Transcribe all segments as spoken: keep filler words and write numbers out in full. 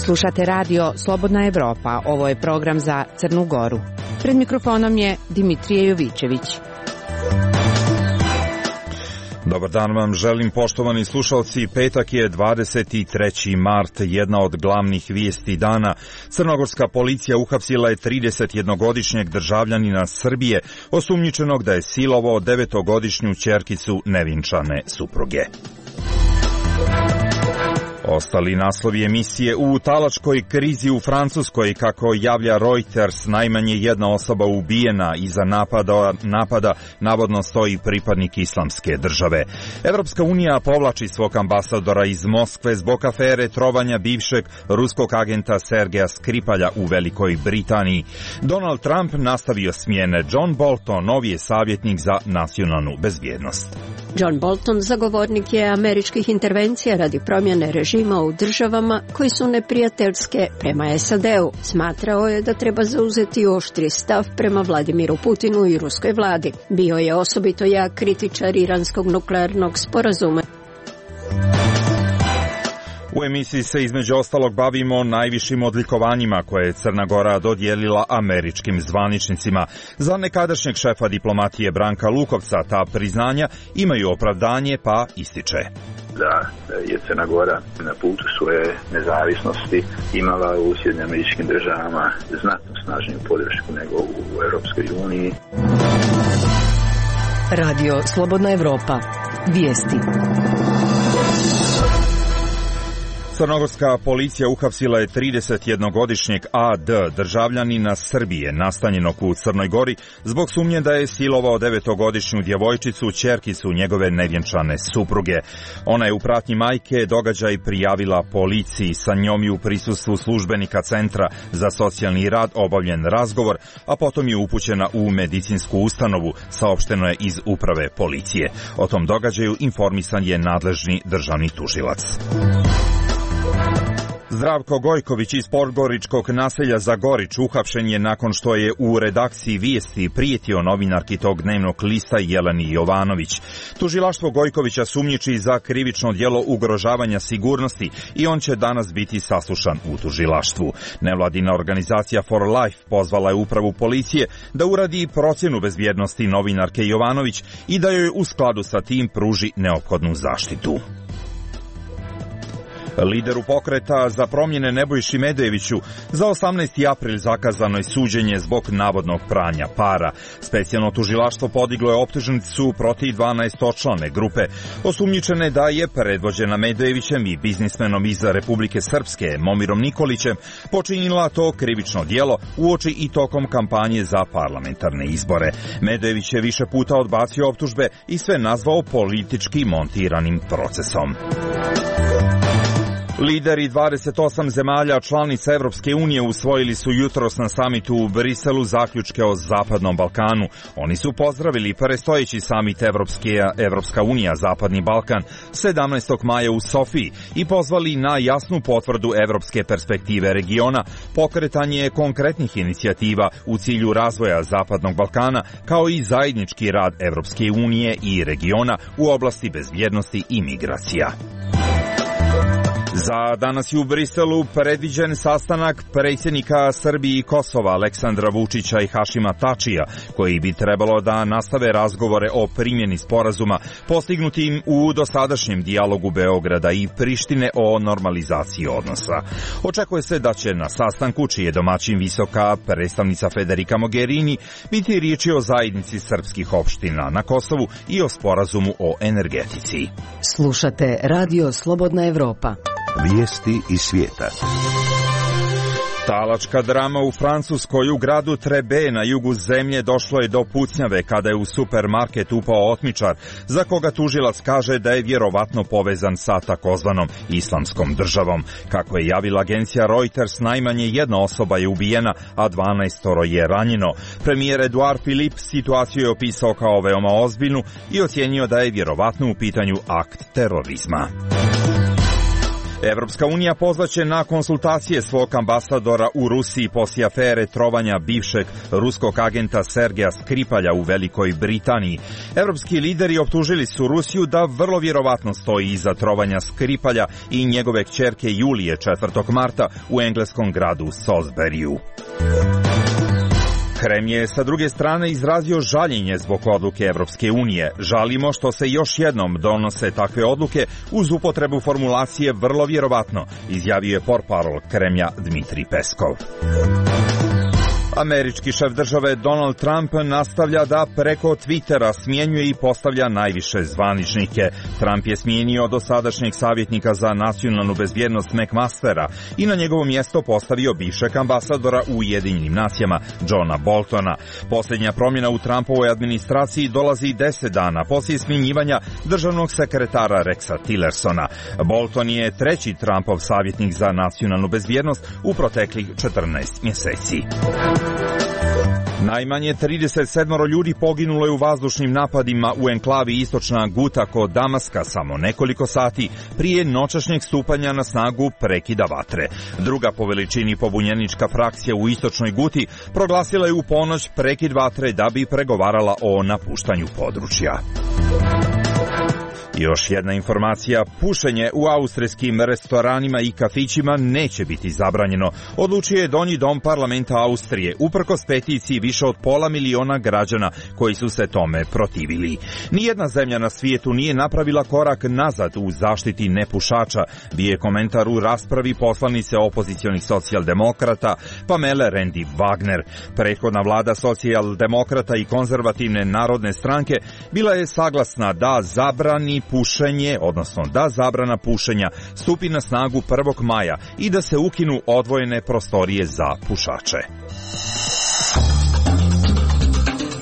Slušate radio Slobodna Evropa, ovo je program za Crnu Goru. Pred mikrofonom je Dimitrije Jovićević. Dobar dan vam želim, poštovani slušalci. Petak je dvadeset treći mart, jedna od glavnih vijesti dana. Crnogorska policija uhapsila je tridesetjednogodišnjeg državljanina Srbije, osumnjičenog da je silovao devetogodišnju ćerkicu nevinčane supruge. Ostali naslovi emisije: u talačkoj krizi u Francuskoj, kako javlja Reuters, najmanje jedna osoba ubijena, iza napada, napada navodno stoji pripadnik islamske države. Evropska unija povlači svog ambasadora iz Moskve zbog afere trovanja bivšeg ruskog agenta Sergeja Skripalja u Velikoj Britaniji. Donald Trump nastavio smjene. John Bolton, novi je savjetnik za nacionalnu bezbjednost. John Bolton zagovornik je američkih intervencija radi promjene režima u državama koji su neprijateljske prema S A D-u. Smatrao je da treba zauzeti oštri stav prema Vladimiru Putinu i ruskoj vladi. Bio je osobito jak kritičar iranskog nuklearnog sporazuma. U emisiji se između ostalog bavimo najvišim odlikovanjima koje je Crna Gora dodijelila američkim zvaničnicima. Za nekadašnjeg šefa diplomatije Branka Lukovca ta priznanja imaju opravdanje, pa ističe da je Crna Gora na putu svoje nezavisnosti imala u Sjedinjenim Američkim Državama znatno snažniju podršku nego u Europskoj uniji. Radio Slobodna Evropa. Vijesti. Crnogorska policija uhapsila je tridesetjednogodišnjeg A D, državljanina Srbije, nastanjenog u Crnoj Gori, zbog sumnje da je silovao devetogodišnju djevojčicu, ćerkicu njegove nevjenčane supruge. Ona je u pratnji majke događaj prijavila policiji, sa njom i u prisustvu službenika Centra za socijalni rad obavljen razgovor, a potom je upućena u medicinsku ustanovu, saopšteno je iz uprave policije. O tom događaju informisan je nadležni državni tužilac. Zdravko Gojković iz podgoričkog naselja Zagorić uhapšen je nakon što je u redakciji Vijesti prijetio novinarki tog dnevnog lista Jeleni Jovanović. Tužilaštvo Gojkovića sumnjiči za krivično djelo ugrožavanja sigurnosti i on će danas biti saslušan u tužilaštvu. Nevladina organizacija For Life pozvala je upravu policije da uradi procjenu bezbjednosti novinarke Jovanović i da joj u skladu sa tim pruži neophodnu zaštitu. Lideru pokreta za promjene Nebojši Medojeviću za osamnaesti april zakazano je suđenje zbog navodnog pranja para. Specijalno tužilaštvo podiglo je optužnicu protiv dvanaestočlane grupe, osumnjičene da je predvođena Medojevićem i biznismenom iz Republike Srpske Momirom Nikolićem počinila to krivično djelo uoči i tokom kampanje za parlamentarne izbore. Medojević je više puta odbacio optužbe i sve nazvao politički montiranim procesom. Lideri dvadeset osam zemalja članica Evropske unije usvojili su jutros na samitu u Briselu zaključke o Zapadnom Balkanu. Oni su pozdravili predstojeći samit Evropske, Evropska unija Zapadni Balkan sedamnaestog maja u Sofiji i pozvali na jasnu potvrdu evropske perspektive regiona, pokretanje konkretnih inicijativa u cilju razvoja Zapadnog Balkana, kao i zajednički rad Evropske unije i regiona u oblasti bezbjednosti i migracija. Za danas je u Briselu predviđen sastanak predsjednika Srbije i Kosova Aleksandra Vučića i Hašima Tačija, koji bi trebalo da nastave razgovore o primjeni sporazuma postignutim u dosadašnjem dijalogu Beograda i Prištine o normalizaciji odnosa. Očekuje se da će na sastanku, čiji je domaćin visoka predstavnica Federica Mogherini, biti riječi o zajednici srpskih opština na Kosovu i o sporazumu o energetici. Slušate Radio Slobodna Evropa. Vijesti iz svijeta. Talačka drama u Francuskoj. U gradu Trebe na jugu zemlje došlo je do pucnjave kada je u supermarket upao otmičar, za koga tužilac kaže da je vjerovatno povezan sa takozvanom islamskom državom. Kako je javila agencija Reuters, najmanje jedna osoba je ubijena, a dvanaestoro je ranjeno. Premijer Edouard Philippe situaciju je opisao kao veoma ozbiljnu i ocijenio da je vjerovatno u pitanju akt terorizma. Evropska unija pozvaće na konsultacije svog ambasadora u Rusiji poslije afere trovanja bivšeg ruskog agenta Sergeja Skripalja u Velikoj Britaniji. Evropski lideri optužili su Rusiju da vrlo vjerovatno stoji iza trovanja Skripalja i njegove kćerke Julije četvrtog marta u engleskom gradu Salisburyju. Krem je sa druge strane izrazio žaljenje zbog odluke Evropske unije. Žalimo što se još jednom donose takve odluke uz upotrebu formulacije vrlo vjerovatno, izjavio je portparol Kremlja Dmitrij Peskov. Američki šef države Donald Trump nastavlja da preko Twittera smjenjuje i postavlja najviše zvaničnike. Trump je smijenio dosadašnjeg savjetnika za nacionalnu bezbjednost McMastera i na njegovo mjesto postavio bivšeg ambasadora u Ujedinjenim nacijama Johna Boltona. Posljednja promjena u Trumpovoj administraciji dolazi deset dana poslije smjenjivanja državnog sekretara Rexa Tillersona. Bolton je treći Trumpov savjetnik za nacionalnu bezbjednost u proteklih četrnaest mjeseci. Najmanje trideset sedam ljudi poginulo je u vazdušnim napadima u enklavi istočna Guta kod Damaska samo nekoliko sati prije noćašnjeg stupanja na snagu prekida vatre. Druga po veličini pobunjenička frakcija u istočnoj Guti proglasila je u ponoć prekid vatre da bi pregovarala o napuštanju područja. Još jedna informacija, pušenje u austrijskim restoranima i kafićima neće biti zabranjeno, odlučio je Donji dom parlamenta Austrije, uprkos peticiji više od pola miliona građana koji su se tome protivili. Nijedna zemlja na svijetu nije napravila korak nazad u zaštiti nepušača, bio je komentar u raspravi poslanice opozicionih socijaldemokrata Pamele Rendi-Wagner. Prethodna vlada socijaldemokrata i konzervativne narodne stranke bila je saglasna da zabrani pušenje, odnosno da zabrana pušenja stupi na snagu prvog maja i da se ukinu odvojene prostorije za pušače.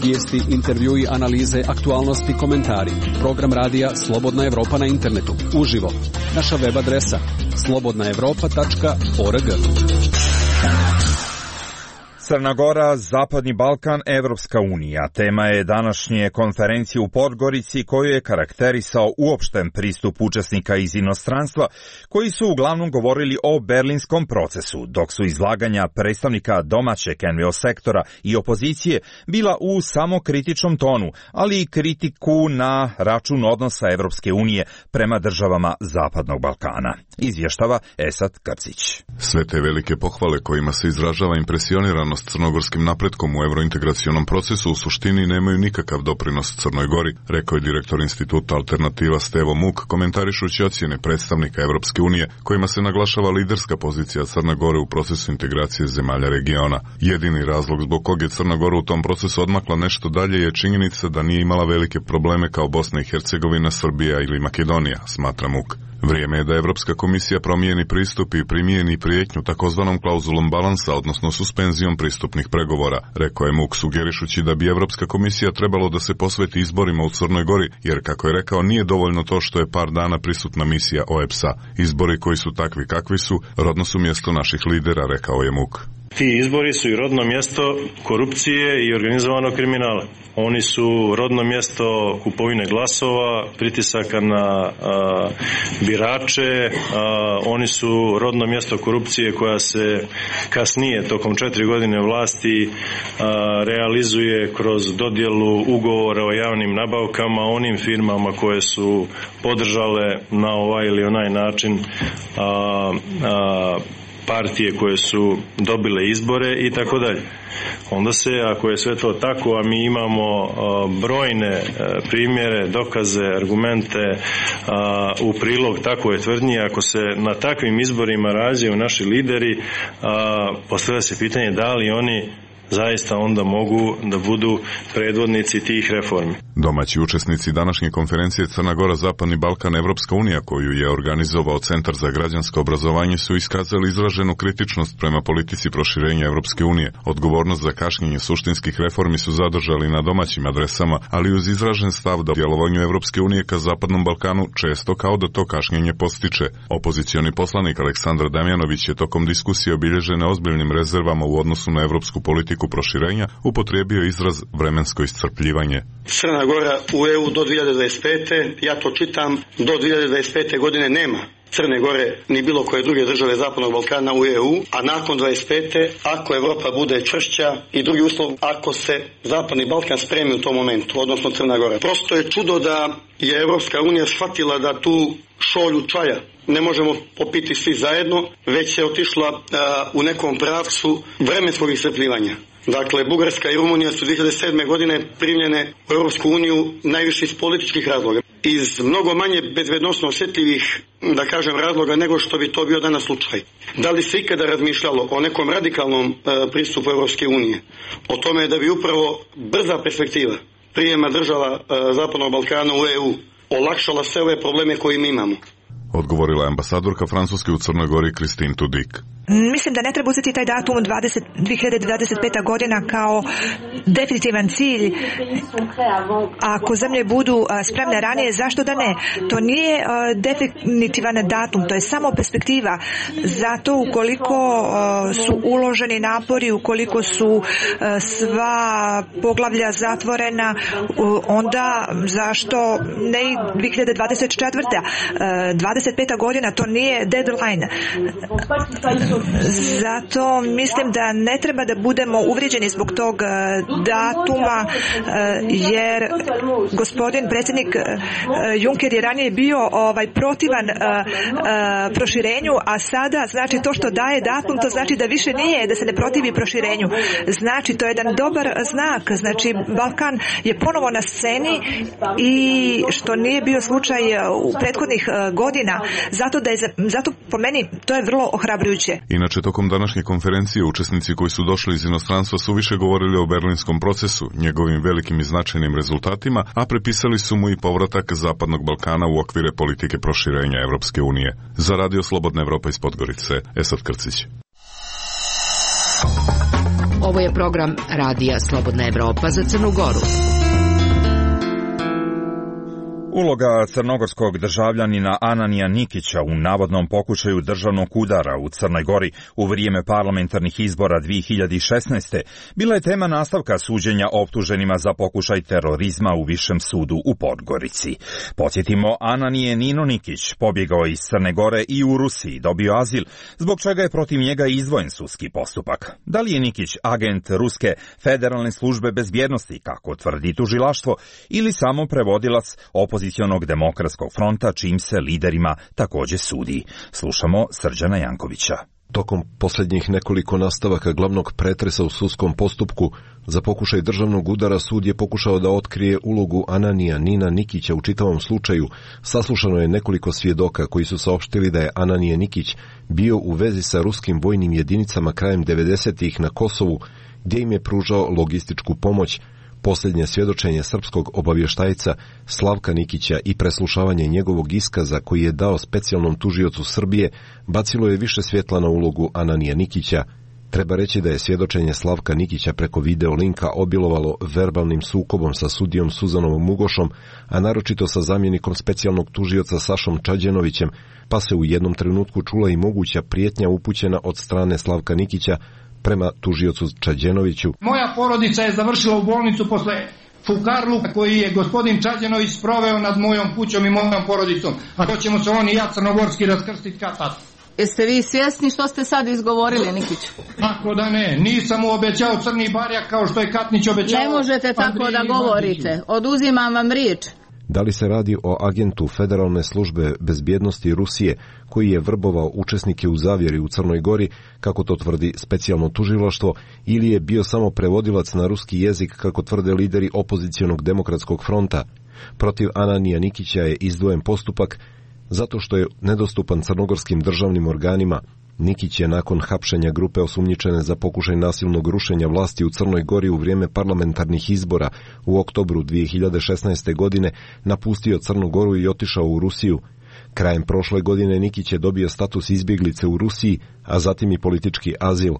Vijesti, intervjui, analize, aktualnosti, komentari. Program radija Slobodna Evropa na internetu. Uživo. Naša web adresa slobodna evropa tačka org. Crna Gora, Zapadni Balkan, Evropska unija. Tema je današnje konferencije u Podgorici koju je karakterisao uopšten pristup učesnika iz inostranstva koji su uglavnom govorili o berlinskom procesu, dok su izlaganja predstavnika domaćeg en ve o sektora i opozicije bila u samokritičnom tonu, ali i kritiku na račun odnosa Evropske unije prema državama Zapadnog Balkana. Izvještava Esad Krcić. Sve te velike pohvale kojima se izražava impresioniranost crnogorskim napretkom u evrointegracionom procesu u suštini nemaju nikakav doprinos Crnoj Gori, rekao je direktor instituta Alternativa Stevo Muk, komentarišući ocjene predstavnika Evropske unije, kojima se naglašava liderska pozicija Crne Gore u procesu integracije zemalja regiona. Jedini razlog zbog kog je Crna Gora u tom procesu odmakla nešto dalje je činjenica da nije imala velike probleme kao Bosna i Hercegovina, Srbija ili Makedonija, smatra Muk. Vrijeme je da Evropska komisija promijeni pristup i primijeni prijetnju takozvanom klauzulom balansa, odnosno suspenzijom pristupnih pregovora, rekao je Muk, sugerišući da bi Evropska komisija trebalo da se posveti izborima u Crnoj Gori, jer, kako je rekao, nije dovoljno to što je par dana prisutna misija o e pe es a. Izbori koji su takvi kakvi su, rodno su mjesto naših lidera, rekao je Muk. Ti izbori su i rodno mjesto korupcije i organizovanog kriminala. Oni su rodno mjesto kupovine glasova, pritisaka na a, birače, a, oni su rodno mjesto korupcije koja se kasnije, tokom četiri godine vlasti, a, realizuje kroz dodjelu ugovora o javnim nabavkama onim firmama koje su podržale na ovaj ili onaj način a, a, partije koje su dobile izbore i tako dalje. Onda se, ako je sve to tako, a mi imamo brojne primjere, dokaze, argumente u prilog takove tvrdnje, ako se na takvim izborima rađaju naši lideri, postavlja se pitanje da li oni zaista onda mogu da budu predvodnici tih reformi. Domaći učesnici današnje konferencije Crna Gora, Zapadni Balkan, Evropska unija, koju je organizovao Centar za građansko obrazovanje, su iskazali izraženu kritičnost prema politici proširenja Evropske unije. Odgovornost za kašnjenje suštinskih reformi su zadržali na domaćim adresama, ali uz izražen stav da djelovanju Evropske unije ka Zapadnom Balkanu često kao da to kašnjenje postiče. Opozicioni poslanik Aleksandar Damjanović je tokom diskusije obilježene ozbiljnim rezervama u odnosu na evropsku politiku proširenja upotrijebio izraz vremensko iscrpljivanje. Crna Gora u e u do dvije hiljade dvadeset pete, ja to čitam, do dvije hiljade dvadeset pete godine nema Crne Gore ni bilo koje druge države Zapadnog Balkana u E U, a nakon dvadeset pete ako Evropa bude čvršća i drugi uslov ako se Zapadni Balkan spremi u tom momentu, odnosno Crna Gora. Prosto je čudo da je Evropska unija shvatila da tu šolju čaja ne možemo popiti svi zajedno, već je otišla uh, u nekom pravcu vremenskog iscrpljivanja. Dakle, Bugarska i Rumunija su dvije hiljade sedme. godine primljene u Europsku uniju najviše iz političkih razloga. Iz mnogo manje bezbednosno osjetljivih, da kažem, razloga nego što bi to bio danas slučaj. Da li se ikada razmišljalo o nekom radikalnom uh, pristupu Europske unije? O tome da bi upravo brza perspektiva prijema država uh, Zapadnog Balkana u E U olakšala sve ove probleme koje mi imamo? Odgovorila je ambasadorka Francuske u Crnoj Gori Christine Tudik. Mislim da ne treba uzeti taj datum dvije hiljade dvadeset peta. godina kao definitivan cilj. Ako zemlje budu spremne ranije, zašto da ne? To nije definitivan datum, to je samo perspektiva. Zato ukoliko su uloženi napori, ukoliko su sva poglavlja zatvorena, onda zašto ne i dvije hiljade dvadeset četvrta. dvadeset peta. godina, to nije deadline. Zato mislim da ne treba da budemo uvrijeđeni zbog tog datuma, jer gospodin predsjednik Juncker je ranije bio ovaj protivan proširenju, a sada znači to što daje datum, to znači da više nije, da se ne protivi proširenju. Znači to je jedan dobar znak, znači Balkan je ponovo na sceni i što nije bio slučaj u prethodnih godina, zato da je, zato po meni to je vrlo ohrabrujuće. Inače, tokom današnje konferencije učesnici koji su došli iz inostranstva su više govorili o berlinskom procesu, njegovim velikim i značajnim rezultatima, a prepisali su mu i povratak Zapadnog Balkana u okvire politike proširenja Evropske unije. Za Radio Slobodna Evropa iz Podgorice, Esad Krcić. Ovo je program Radija Slobodna Evropa za Crnu Goru. Uloga crnogorskog državljanina Ananija Nikića u navodnom pokušaju državnog udara u Crnoj Gori u vrijeme parlamentarnih izbora dvije hiljade šesnaeste. bila je tema nastavka suđenja optuženima za pokušaj terorizma u Višem sudu u Podgorici. Podsjetimo, Ananije Nino Nikić pobjegao iz Crne Gore i u Rusiji dobio azil, zbog čega je protiv njega izdvojen sudski postupak. Da li je Nikić agent Ruske federalne službe bezbjednosti, kako tvrdi tužilaštvo, ili samo prevodilac opozicionog demokratskog fronta, čim se liderima također sudi? Slušamo Srđana Jankovića. Tokom posljednjih nekoliko nastavaka glavnog pretresa u sudskom postupku za pokušaj državnog udara sud je pokušao da otkrije ulogu Ananija Nina Nikića u čitavom slučaju. Saslušano je nekoliko svjedoka koji su saopštili da je Ananije Nikić bio u vezi sa ruskim vojnim jedinicama krajem devedesetih na Kosovu, gdje im je pružao logističku pomoć. Posljednje svjedočenje srpskog obavještajca Slavka Nikića i preslušavanje njegovog iskaza koji je dao specijalnom tužiocu Srbije bacilo je više svjetla na ulogu Ananija Nikića. Treba reći da je svjedočenje Slavka Nikića preko video linka obilovalo verbalnim sukobom sa sudijom Suzanovom Mugošom, a naročito sa zamjenikom specijalnog tužioca Sašom Čađenovićem, pa se u jednom trenutku čula i moguća prijetnja upućena od strane Slavka Nikića prema tužiocu Čađenoviću. Moja porodica je završila u bolnicu posle fukarluka koji je gospodin Čađenović sproveo nad mojom kućom i mojom porodicom. A to ćemo se on i ja crnogorski raskrstiti kad tad. Jeste vi svjesni što ste sad izgovorili, Nikić? Tako da ne, nisam mu obećao crni barjak kao što je Katnić obećao. Ne možete tako da govorite, oduzimam vam riječ. Da li se radi o agentu Federalne službe bezbjednosti Rusije koji je vrbovao učesnike u zavjeri u Crnoj Gori, kako to tvrdi specijalno tužilaštvo, ili je bio samo prevodilac na ruski jezik, kako tvrde lideri opozicionog demokratskog fronta? Protiv Ananija Nikića je izdvojen postupak zato što je nedostupan crnogorskim državnim organima. Nikić je nakon hapšenja grupe osumnjičene za pokušaj nasilnog rušenja vlasti u Crnoj Gori u vrijeme parlamentarnih izbora u oktobru dvije hiljade šesnaeste. godine napustio Crnu Goru i otišao u Rusiju. Krajem prošle godine Nikić je dobio status izbjeglice u Rusiji, a zatim i politički azil.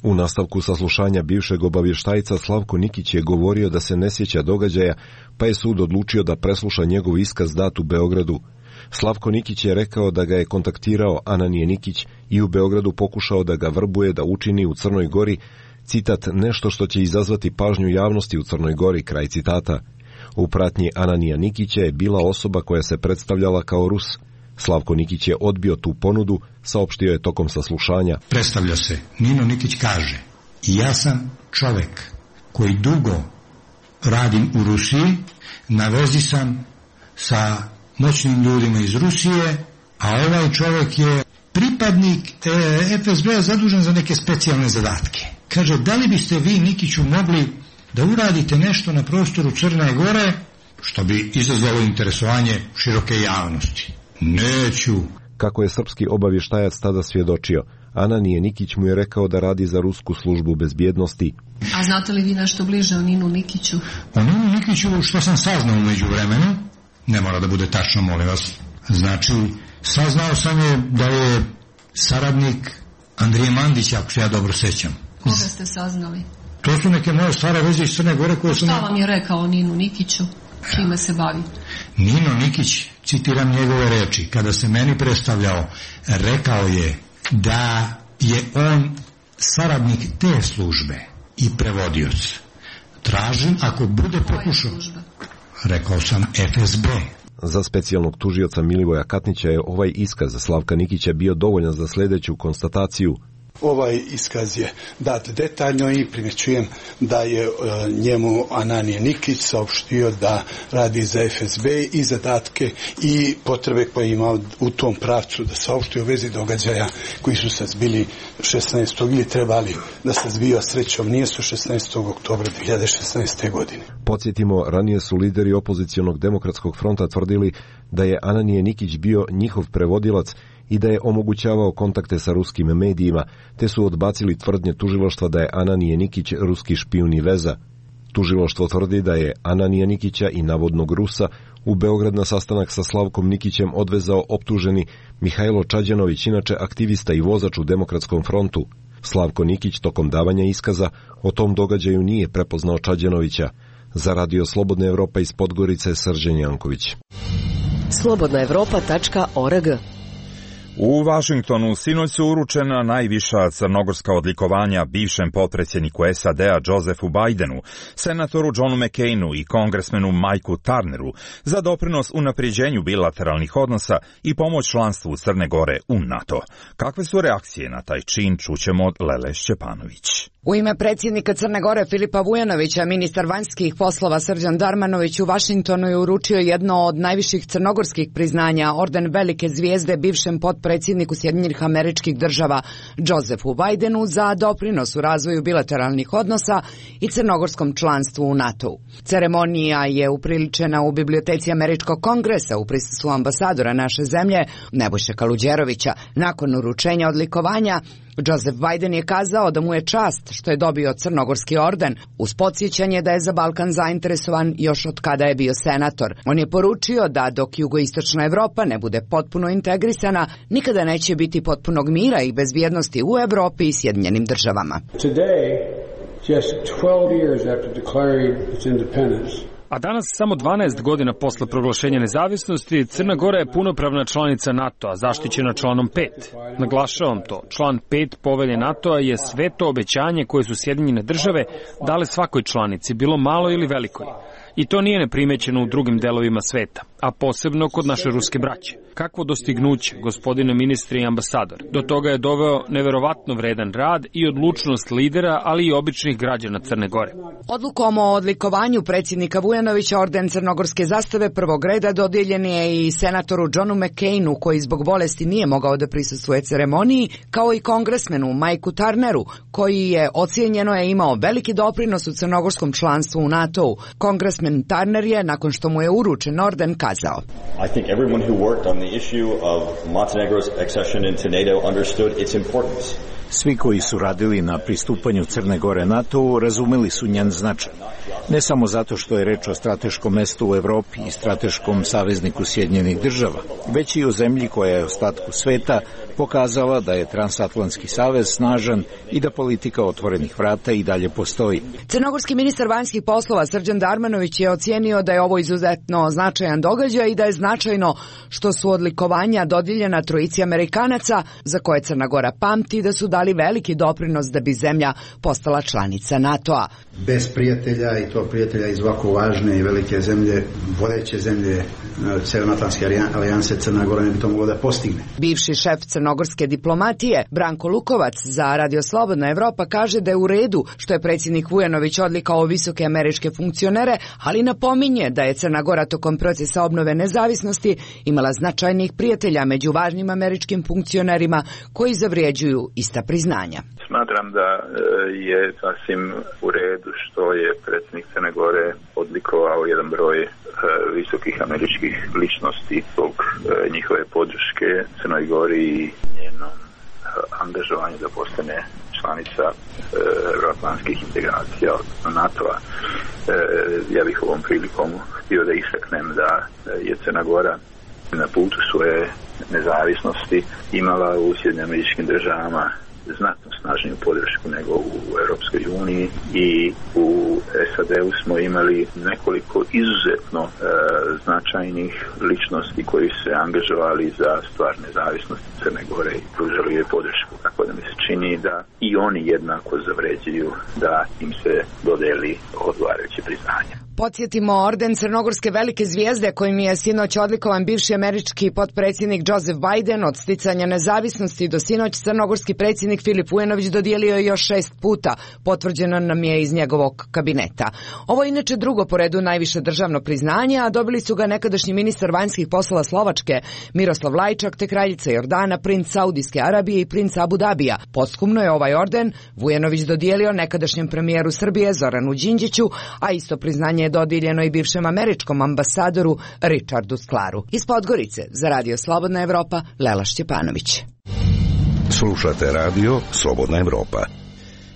U nastavku saslušanja bivšeg obavještajca Slavko Nikić je govorio da se ne sjeća događaja, pa je sud odlučio da presluša njegov iskaz dat u Beogradu. Slavko Nikić je rekao da ga je kontaktirao Ananije Nikić i u Beogradu pokušao da ga vrbuje da učini u Crnoj Gori, citat, nešto što će izazvati pažnju javnosti u Crnoj Gori, kraj citata. U pratnji Ananija Nikića je bila osoba koja se predstavljala kao Rus. Slavko Nikić je odbio tu ponudu, saopštio je tokom saslušanja. Predstavlja se, Nino Nikić kaže, ja sam čovek koji dugo radim u Rusiji, na vezi sam sa moćnim ljudima iz Rusije, a ovaj čovek je pripadnik F S B-a zadužen za neke specijalne zadatke. Kaže, da li biste vi, Nikiću, mogli da uradite nešto na prostoru Crne Gore, što bi izazvalo interesovanje široke javnosti? Neću. Kako je srpski obavještajac tada svjedočio, Ananije Nikić mu je rekao da radi za rusku službu bezbjednosti. A znate li vi nešto bliže o Ninu Nikiću? O Ninu Nikiću, što sam saznao u međuvremenu, ne mora da bude tačno, molim vas. Znači, saznao sam je da je saradnik Andrije Mandića, ako se ja dobro sećam. Koga ste saznali? To su neke moje stare veze iz Crne Gore koje sam... Šta vam je rekao o Ninu Nikiću? Čime se bavi? Nino Nikić, citiram njegove reči, kada se meni predstavljao, rekao je da je on saradnik te službe i prevodioc. Tražim, ako bude pokušao... Rekao sam F S B. Za specijalnog tužioca Milivoja Katnića je ovaj iskaz Slavka Nikića bio dovoljan za sljedeću konstataciju. Ovaj iskaz je dat detaljno i primjećujem da je e, njemu Ananije Nikić saopštio da radi za F S B i zadatke i potrebe koje je imao u tom pravcu da saopštio u vezi događaja koji su se zbili šesnaestog ili trebali da se zbio, srećom nije su šesnaestog oktobra dvije hiljade šesnaeste. godine. Podsjetimo, ranije su lideri opozicionog demokratskog fronta tvrdili da je Ananije Nikić bio njihov prevodilac i da je omogućavao kontakte sa ruskim medijima, te su odbacili tvrdnje tužilaštva da je Ananije Nikić ruski špijun i veza. Tužilaštvo tvrdi da je Ananija Nikića i navodnog Rusa u Beograd na sastanak sa Slavkom Nikićem odvezao optuženi Mihajlo Čađanović, inače aktivista i vozač u Demokratskom frontu. Slavko Nikić tokom davanja iskaza o tom događaju nije prepoznao Čađanovića. Za Radio Slobodna Evropa iz Podgorice, Srđan Janković. slobodna evropa tačka org. U Vašingtonu sinoć su uručena najviša crnogorska odlikovanja bivšem potpredsjedniku S A D-a Josefu Bidenu, senatoru Johnu McCainu i kongresmenu Mikeu Turneru za doprinos unapređenju bilateralnih odnosa i pomoć članstvu Crne Gore u NATO. Kakve su reakcije na taj čin, čućemo od Lele Šćepanović. U ime predsjednika Crne Gore Filipa Vujanovića, ministar vanjskih poslova Srđan Darmanović u Vašingtonu je uručio jedno od najviših crnogorskih priznanja, orden velike zvijezde bivšem potpredsjedniku Sjedinjenih Američkih Država Josefu Bidenu za doprinos u razvoju bilateralnih odnosa i crnogorskom članstvu u NATO-u. Ceremonija je upriličena u biblioteci Američkog kongresa u prisustvu ambasadora naše zemlje Nebojše Kaluđerovića. Nakon uručenja odlikovanja, Joseph Biden je kazao da mu je čast što je dobio crnogorski orden, uz podsjećanje da je za Balkan zainteresovan još od kada je bio senator. On je poručio da dok jugoistočna Evropa ne bude potpuno integrisana, nikada neće biti potpunog mira i bezbjednosti u Evropi i Sjedinjenim Državama. Today, just twelve years after declaring its independence, A danas, samo dvanaest godina posle proglašenja nezavisnosti, Crna Gora je punopravna članica NATO-a, zaštićena članom pet. Naglašavam to, član pet povelje NATO-a je sveto obećanje koje su Sjedinjene Države dale svakoj članici, bilo malo ili velikoj. I to nije neprimećeno u drugim delovima sveta, a posebno kod naše ruske braće. Kakvo dostignuće, gospodine ministre i ambasador. Do toga je doveo neverovatno vredan rad i odlučnost lidera, ali i običnih građana Crne Gore. Odlukom o odlikovanju predsjednika Vujanovića orden crnogorske zastave prvog reda dodijeljen je i senatoru Johnu McCainu, koji zbog bolesti nije mogao da prisustvuje ceremoniji, kao i kongresmenu Mikeu Turneru, koji je ocijenjeno je imao veliki doprinos u crnogorskom članstvu u NATO-u. Kongresmen Turner je, nakon što mu je uručen orden, kazao: I think everyone who worked on the issue of Montenegro's accession into NATO understood its importance. Svi koji su radili na pristupanju Crne Gore NATO-u razumeli su njen značaj. Ne samo zato što je reč o strateškom mestu u Evropi i strateškom savezniku Sjedinjenih Država, već i o zemlji koja je ostatku sveta pokazala da je transatlantski savez snažan i da politika otvorenih vrata i dalje postoji. Crnogorski ministar vanjskih poslova Srđan Darmanović je ocijenio da je ovo izuzetno značajan događaj i da je značajno što su odlikovanja dodijeljena trojici Amerikanaca, za koje Crna Gora pamti da su dali veliki doprinos da bi zemlja postala članica NATO-a. Bez prijatelja, i to tog prijatelja iz ovako važne i velike zemlje, vodeće zemlje Severnoatlantske alijanse, Crna Gora ne bi to mogla da postigne. Bivši šef crnogorske diplomatije Branko Lukovac za Radio Slobodna Evropa kaže da je u redu što je predsjednik Vujanović odlikao visoke američke funkcionere, ali napominje da je Crna Gora tokom procesa obnove nezavisnosti imala značajnih prijatelja među važnim američkim funkcionerima koji zavrijeđuju ista priznanja. Smatram da je sasvim u redu što je predsjednik Crne Gore odlikovao jedan broj visokih američkih ličnosti zbog njihove podrške Crnoj Gori i njenom angažovanju da postane članica euroatlantskih integracija od NATO-a. Ja bih ovom prilikom htio da istaknem da je Crna Gora na putu svoje nezavisnosti imala u Sjedinjenim Američkim Državama znatno snažniju podršku nego u Europskoj uniji i u S A D-u smo imali nekoliko izuzetno e, značajnih ličnosti koji se angažovali za stvar nezavisnosti Crne Gore i pružali je podršku. Tako da mi se čini da i oni jednako zavređuju da im se dodeli odgovarajuće priznanje. Podsjetimo, orden crnogorske velike zvijezde kojim je sinoć odlikovan bivši američki potpredsjednik Joseph Biden od sticanja nezavisnosti do sinoć crnogorski predsjednik Filip Vujanović dodijelio je još šest puta, potvrđeno nam je iz njegovog kabineta. Ovo je inače drugo po redu najviše državno priznanje, a dobili su ga nekadašnji ministar vanjskih poslova Slovačke Miroslav Lajčak te kraljica Jordana, princ Saudijske Arabije i princ Abu Dabija. Posthumno je ovaj orden Vujanović dodijelio nekadašnjem premijeru Srbije Zoranu Đinđiću, a isto priznanje je dodijeljeno i bivšem američkom ambasadoru Richardu Sklaru. Iz Podgorice za Radio Slobodna Evropa, Lela Šćepanović. Slušate Radio Slobodna Evropa.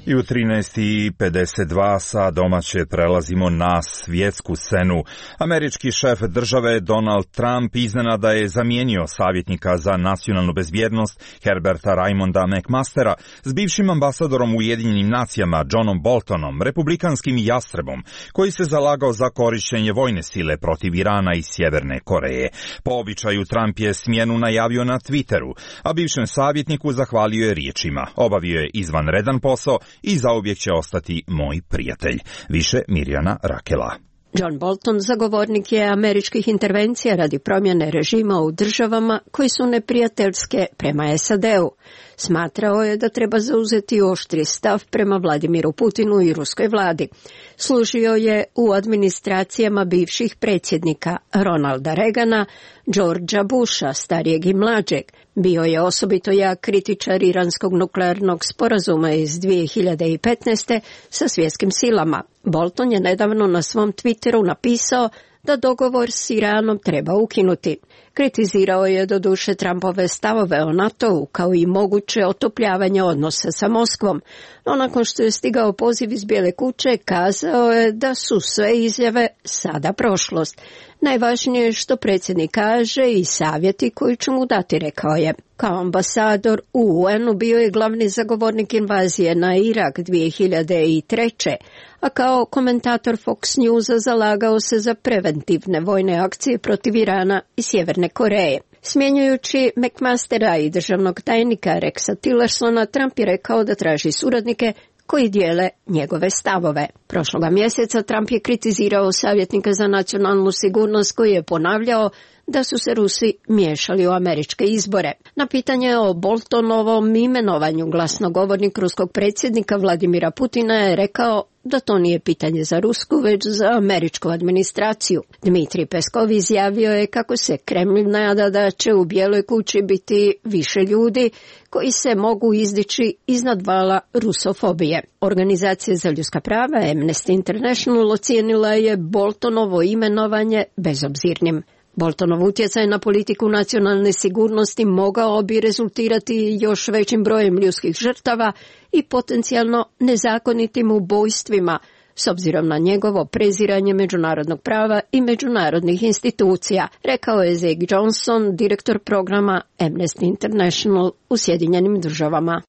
I u trinaest i pedeset dva sa domaće prelazimo na svjetsku scenu. Američki šef države Donald Trump iznenada je zamijenio savjetnika za nacionalnu bezbjednost Herberta Raymonda McMastera s bivšim ambasadorom u Ujedinjenim nacijama Johnom Boltonom, republikanskim jastrebom, koji se zalagao za korištenje vojne sile protiv Irana i Sjeverne Koreje. Po običaju Trump je smjenu najavio na Twitteru, a bivšem savjetniku zahvalio je riječima: obavio je izvanredan posao i zauvijek će ostati moj prijatelj. Više Mirjana Rakela. John Bolton zagovornik je američkih intervencija radi promjene režima u državama koji su neprijateljske prema S A D-u. Smatrao je da treba zauzeti oštri stav prema Vladimiru Putinu i ruskoj vladi. Služio je u administracijama bivših predsjednika Ronalda Reagana, Georgea Busha, starijeg i mlađeg. Bio je osobito jak kritičar iranskog nuklearnog sporazuma iz dvije hiljade petnaeste sa svjetskim silama. Bolton je nedavno na svom Twitteru napisao da dogovor s Iranom treba ukinuti. Kritizirao je doduše Trumpove stavove o NATO-u kao i moguće otopljavanje odnosa sa Moskvom, no nakon što je stigao poziv iz Bijele kuće kazao je da su sve izjave sada prošlost. Najvažnije je što predsjednik kaže i savjeti koji će mu dati, rekao je. Kao ambasador u U N-u bio je glavni zagovornik invazije na Irak dvije hiljade treće. a kao komentator Fox Newsa zalagao se za preventivne vojne akcije protiv Irana i Sjeverne Koreje. Smjenjujući McMastera i državnog tajnika Rexa Tillersona, Trump je rekao da traži suradnike koji dijele njegove stavove. Prošloga mjeseca Trump je kritizirao savjetnika za nacionalnu sigurnost koji je ponavljao da su se Rusi miješali u američke izbore. Na pitanje o Boltonovom imenovanju glasnogovornik ruskog predsjednika Vladimira Putina je rekao da to nije pitanje za rusku, već za američku administraciju. Dmitrij Peskov izjavio je kako se Kremlj nada da će u Bijeloj kući biti više ljudi koji se mogu izdići iznad vala rusofobije. Organizacija za ljudska prava Amnesty International ocijenila je Boltonovo imenovanje bezobzirnim. Boltonov utjecaj na politiku nacionalne sigurnosti mogao bi rezultirati još većim brojem ljudskih žrtava i potencijalno nezakonitim ubojstvima, s obzirom na njegovo preziranje međunarodnog prava i međunarodnih institucija, rekao je Zach Johnson, direktor programa Amnesty International u Sjedinjenim državama.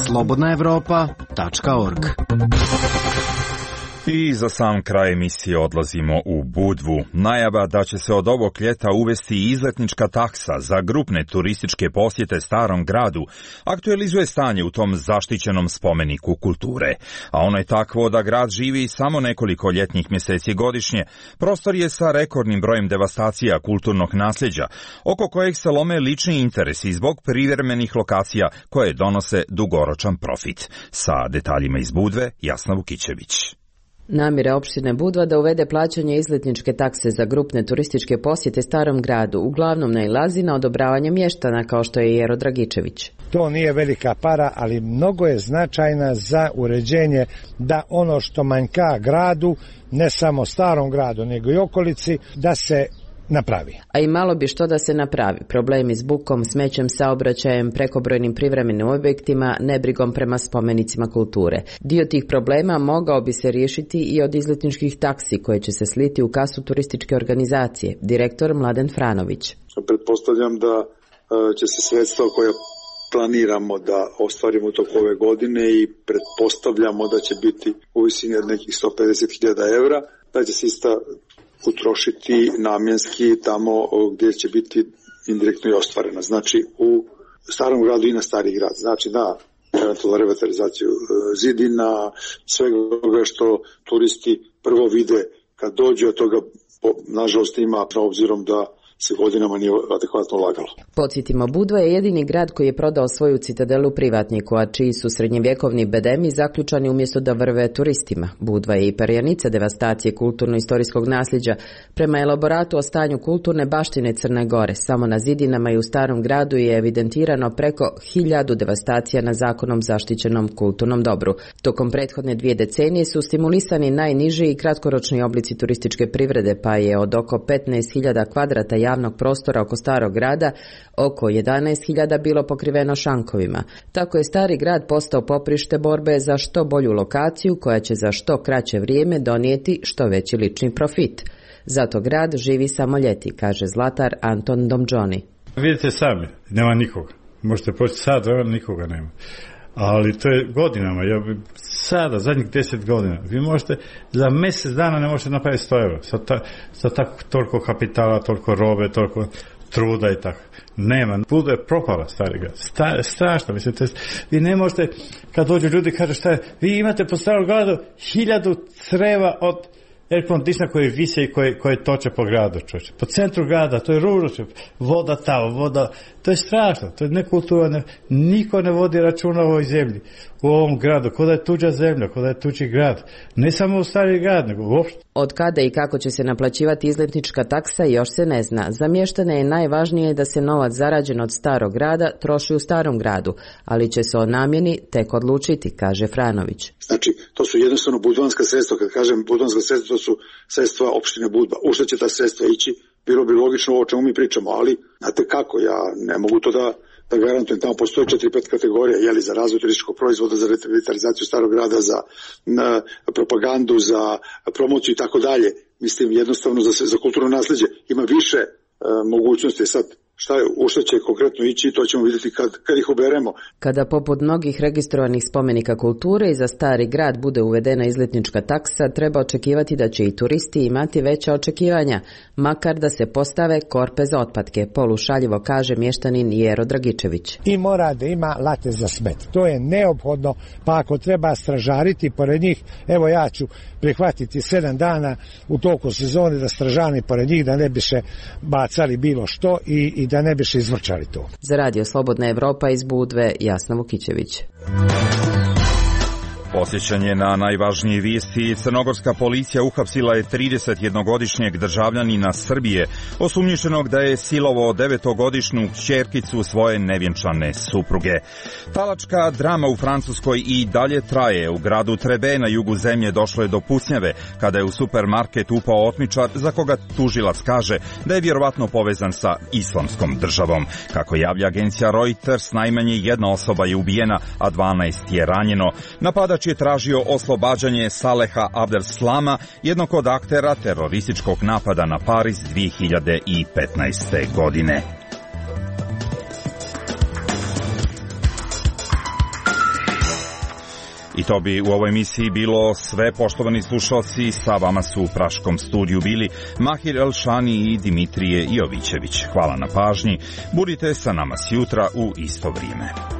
slobodna evropa tačka org I za sam kraj emisije odlazimo u Budvu. Najava da će se od ovog ljeta uvesti izletnička taksa za grupne turističke posjete Starom gradu aktualizuje stanje u tom zaštićenom spomeniku kulture. A ono je takvo da grad živi samo nekoliko ljetnih mjeseci godišnje. Prostor je sa rekordnim brojem devastacija kulturnog nasljeđa, oko kojeg se lome lični interesi zbog privremenih lokacija koje donose dugoročan profit. Sa detaljima iz Budve, Jasna Vukićević. Namjera opštine Budva da uvede plaćanje izletničke takse za grupne turističke posjete Starom gradu uglavnom nailazi na odobravanje mještana kao što je Jero Dragičević. To nije velika para, ali mnogo je značajna za uređenje da ono što manjka gradu, ne samo Starom gradu nego i okolici, da se napravi. A i malo bi što da se napravi. Problemi s bukom, smećem, saobraćajem, prekobrojnim privremenim objektima, nebrigom prema spomenicima kulture. Dio tih problema mogao bi se riješiti i od izletničkih taksi koje će se sliti u kasu turističke organizacije. Direktor Mladen Franović. Pretpostavljam da će se sredstva koja planiramo da ostvarimo u toku ove godine i pretpostavljamo da će biti u visini od nekih sto pedeset hiljada evra, da će se ista utrošiti namjenski tamo gdje će biti indirektno i ostvarena. Znači u Starom gradu i na Stari grad. Znači na eventualnu revitalizaciju zidina, svega što turisti prvo vide kad dođu, od toga nažalost ima obzirom da se godinama nije adekvatno ulagalo. Podsjetimo, Budva je jedini grad koji je prodao svoju citadelu privatniku, a čiji su srednjevjekovni bedemi zaključani umjesto da vrve turistima. Budva je i perjanica devastacije kulturno-istorijskog nasljeđa. Prema elaboratu o stanju kulturne baštine Crne Gore, samo na zidinama i u Starom gradu je evidentirano preko hiljadu devastacija na zakonom zaštićenom kulturnom dobru. Tokom prethodne dvije decenije su stimulisani najniži i kratkoročni oblici turističke privrede, pa je od oko petnaest hiljada kvadrata javnog prostora oko Starog grada oko jedanaest hiljada bilo pokriveno šankovima. Tako je Stari grad postao poprište borbe za što bolju lokaciju koja će za što kraće vrijeme donijeti što veći lični profit. Zato grad živi samo ljeti, kaže zlatar Anton Domđoni. Vidite sami, nema nikoga. Možete poći sad, nikoga nema. Ali to je godinama, ja bi sada, zadnjih deset godina, vi možete, za mjesec dana ne možete napraviti sto eura, sa, ta, sa tako, toliko kapitala, toliko robe, toliko truda i tako. Nema, Budva je propala, Stari grad, Sta, strašno, mislim, to je, vi ne možete, kad dođu ljudi kažu šta je, vi imate po Starom gradu hiljadu creva od air conditiona koji vise i koji, koji toče po gradu, čovječe. Po centru grada, to je ružno, voda tamo, voda, to je strašno, to je nekulturno, niko ne vodi računa o ovoj zemlji, u ovom gradu, kod je tuđa zemlja, kod je tuđi grad, ne samo u Stari grad, nego uopšte. Od kada i kako će se naplaćivati izletnička taksa još se ne zna. Za mještane je najvažnije da se novac zarađen od Starog grada troši u Starom gradu, ali će se o namjeni tek odlučiti, kaže Franović. Znači, to su jednostavno budvanska sredstva, kad kažem budvanska sredstva, to su sredstva opštine Budva. U što će ta sredstva ići, bilo bi logično o čemu mi pričamo, ali znate kako, ja ne mogu to da da garantujem, tamo postoje četiri pet kategorija, jeli, za razvoj turističkog proizvoda, za revitalizaciju Starog grada, za na, propagandu, za promociju i tako dalje. Mislim, jednostavno za, za kulturno nasljeđe ima više e, mogućnosti. Sad, šta je, u što će konkretno ići, to ćemo vidjeti kad, kad ih oberemo. Kada poput mnogih registrovanih spomenika kulture i za Stari grad bude uvedena izletnička taksa, treba očekivati da će i turisti imati veća očekivanja, makar da se postave korpe za otpadke, polušaljivo kaže mještanin Jero Dragičević. I mora da ima late za smet. To je neophodno, pa ako treba stražariti pored njih, evo ja ću prihvatiti sedam dana u toku sezone da stražani pored njih, da ne biše bacali bilo što i, i da ne biše izvrčali to. Za Radio Slobodna Evropa iz Budve, Jasna Vukićević. Posjećanje na najvažnije vijesti. Crnogorska policija uhapsila je tridesetjednogodišnjeg državljanina Srbije, osumnjičenog da je silovao devetogodišnju kćerkicu svoje nevjenčane supruge. Talačka drama u Francuskoj i dalje traje. U gradu Trebe na jugu zemlje došlo je do pucnjave kada je u supermarket upao otmičar za koga tužilac kaže da je vjerovatno povezan sa islamskom državom. Kako javlja agencija Reuters, najmanje jedna osoba je ubijena, a dvanaest je ranjeno. Napadač je tražio oslobađanje Saleha Abdel-Slama, jednog od aktera terorističkog napada na Pariz dvije hiljade petnaeste. godine. I to bi u ovoj emisiji bilo sve, poštovani slušalci. Sa vama su u Praškom studiju bili Mahir Elšani i Dimitrije Jovićević. Hvala na pažnji. Budite sa nama sjutra u isto vrijeme.